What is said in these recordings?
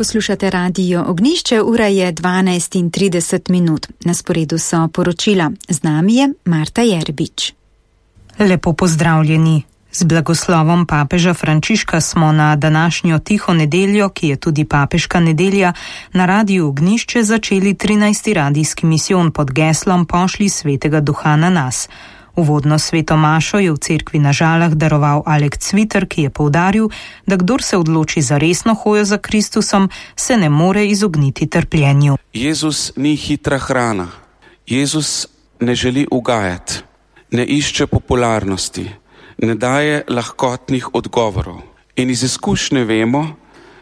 Poslušate Radio Ognjišče, ura je 12:30. Na sporedu so poročila. Z nami je Marta Jerbič. Lepo pozdravljeni. Z blagoslovom papeža Frančiška smo na današnjo tiho nedeljo, ki je tudi papeška nedelja, na Radiu Ognjišče začeli 13. radijski misijon pod geslom Pošlji svetega duha na nas. Uvodno sveto mašo je v cerkvi na Žalah daroval Alek Cviter, ki je poudaril, da kdor se odloči za resno hojo za Kristusom, se ne more izogniti trpljenju. Jezus ni hitra hrana. Jezus ne želi ugajati, ne išče popularnosti, ne daje lahkotnih odgovorov. In iz izkušnje vemo,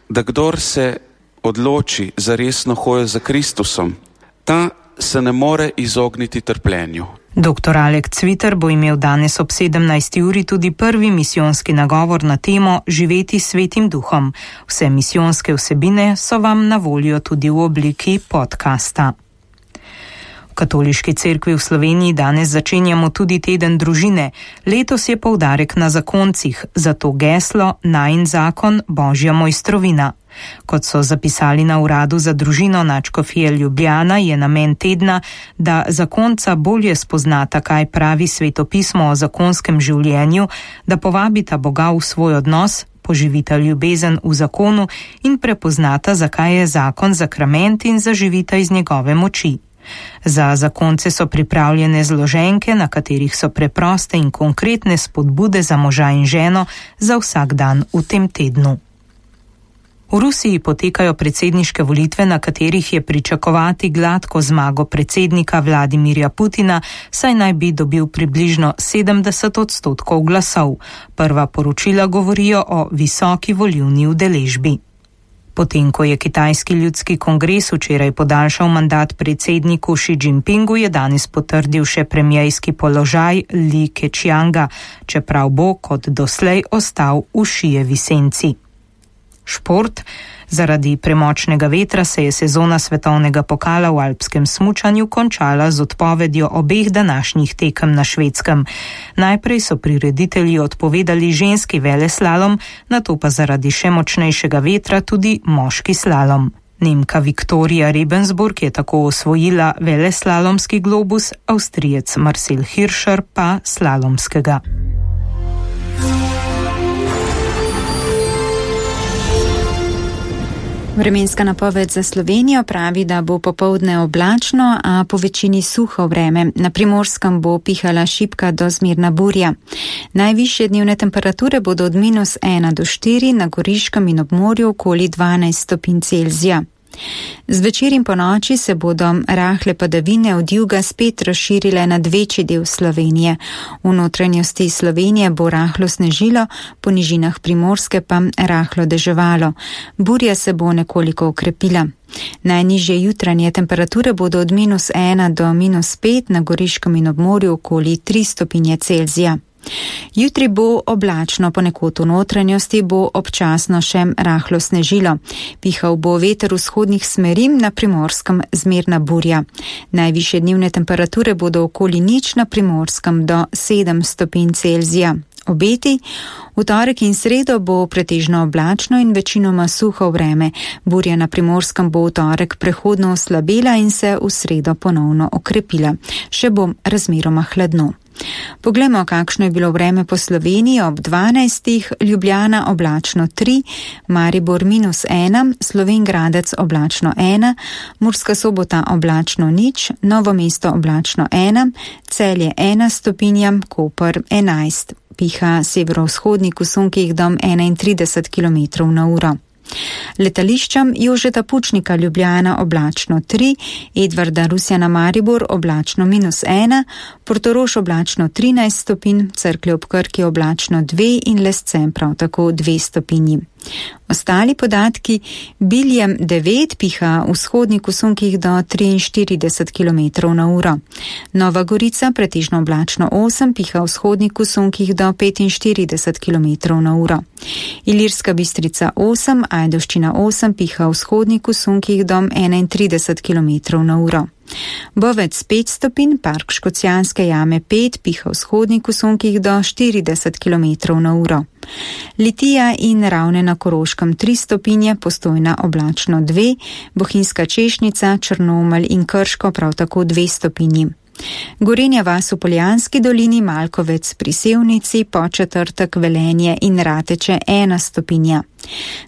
da kdor se odloči za resno hojo za Kristusom, ta se ne more izogniti trpljenju. Dr. Alek Cviter bo imel danes ob 17. uri tudi prvi misijonski nagovor na temo Živeti svetim duhom. Vse misijonske vsebine so vam na voljo tudi v obliki podcasta. V Katoliški cerkvi v Sloveniji danes začenjamo tudi teden družine. Letos je poudarek na zakoncih, zato geslo Najin zakon Božja mojstrovina. Kot so zapisali na Uradu za družino Nadškofije Ljubljana, je namen tedna, da zakonca bolje spoznata, kaj pravi svetopismo o zakonskem življenju, da povabita Boga v svoj odnos, poživita ljubezen v zakonu in prepoznata, zakaj je zakon sakrament in zaživita iz njegove moči. Za zakonce so pripravljene zloženke, na katerih so preproste in konkretne spodbude za moža in ženo za vsak dan v tem tednu. V Rusiji potekajo predsedniške volitve, na katerih je pričakovati gladko zmago predsednika Vladimirja Putina, saj naj bi dobil približno 70% glasov. Prva poročila govorijo o visoki volilni udeležbi. Potem, ko je Kitajski ljudski kongres včeraj podaljšal mandat predsedniku Xi Jinpingu, je danes potrdil še premierski položaj Li Keqianga, čeprav bo kot doslej ostal v Xijevi senci. Šport. Zaradi premočnega vetra se je sezona svetovnega pokala v alpskem smučanju končala z odpovedjo obeh današnjih tekem na Švedskem. Najprej so prireditelji odpovedali ženski veleslalom, nato pa zaradi še močnejšega vetra tudi moški slalom. Nemka Viktorija Rebensburg je tako osvojila veleslalomski globus, Avstrijec Marcel Hirscher pa slalomskega. Vremenska napoved za Slovenijo pravi, da bo popoldne oblačno, a po večini suho vreme. Na Primorskem bo pihala šibka do zmerna burja. Najvišje dnevne temperature bodo od -1 do 4, na Goriškem in ob morju okoli 12 stopinj Celzija. Zvečer in ponoči se bodo rahle padavine od juga spet razširile nad večji del Slovenije. V notranjosti Slovenije bo rahlo snežilo, po nižinah Primorske pa rahlo deževalo. Burja se bo nekoliko okrepila. Najnižje jutranje temperature bodo od -1 do -5, na Goriškem in ob morju okoli 3 stopinje Celzija. Jutri bo oblačno, ponekod v notranjosti bo občasno še rahlo snežilo. Pihal bo veter vzhodnih smeri, na Primorskem zmerna burja. Najvišje dnevne temperature bodo okoli 0 na Primorskem do 7 stopinj Celzija. Obeti. V torek in sredo bo pretežno oblačno in večinoma suho vreme. Burja na Primorskem bo v torek prehodno oslabela in se v sredo ponovno okrepila. Še bo razmeroma hladno. Poglejmo, kakšno je bilo vreme po Sloveniji ob 12. Ljubljana oblačno 3, Maribor -1, Slovenj Gradec oblačno 1, Murska Sobota oblačno 0, Novo mesto oblačno 1, Celje 1 stopinja, Koper 11. Piha severovzhodnik v sunkih do 31 km/h. Letališčem Jožeta Pučnika Ljubljana oblačno 3, Edvarda Rusjana Maribor oblačno -1, Portorož oblačno 13 stopinj, Cerklje ob Krki oblačno 2 in Lescem prav tako 2 stopinji. Ostali podatki: Biljem 9, piha vzhodnik v sunkih do 43 km/h. Nova Gorica pretežno oblačno 8, piha vzhodnik v sunkih do 45 km/h. Ilirska Bistrica 8, Ajdovščina 8, piha vzhodnik v sunkih do 31 km/h. Bovec 5 stopinj, Park Škocjanske jame 5, piha vzhodnik v sunkih do 40 km/h. Litija in Ravne na Koroškem 3 stopinje, Postojna oblačno 2, Bohinjska Češnica, Črnomelj in Krško prav tako 2 stopinji. Gorenja vas v Poljanski dolini, Malkovec pri Sevnici, Podčetrtek, Velenje in Rateče 1 stopinja.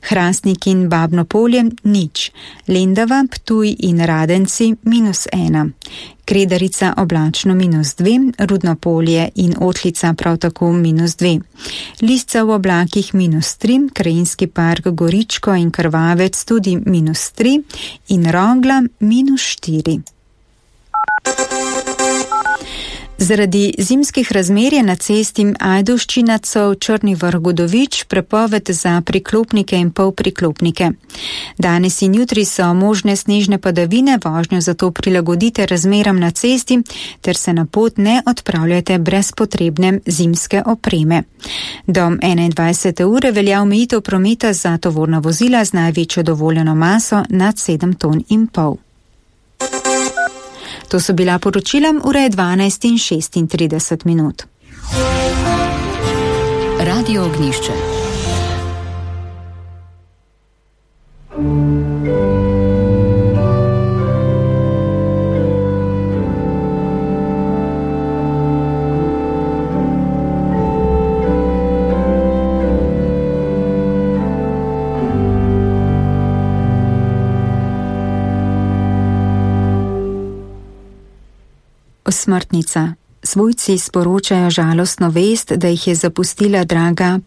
Hrastnik in Babno Polje 0, Lendava, Ptuj in Radenci -1, Kredarica oblačno -2, Rudno Polje in Otlica prav tako -2, Lisca v oblakih -3, Krajinski park Goričko in Krvavec tudi -3 in Rogla -4. Zaradi zimskih razmer je na cesti Ajdovščina-Cov Črni Vrh-Godovič prepoved za priklopnike in polpriklopnike. Danes in jutri so možne snežne padavine, vožnjo zato prilagodite razmeram na cesti ter se na pot ne odpravljate brez potrebne zimske opreme. Do 21. ure velja omejitev prometa za tovorna vozila z največjo dovoljeno maso nad 7,5 ton. To so bila poročila, ura je 12:36. Radio Ognjišče. Osmrtnica. Svojci sporočajo žalostno vest, da jih je zapustila draga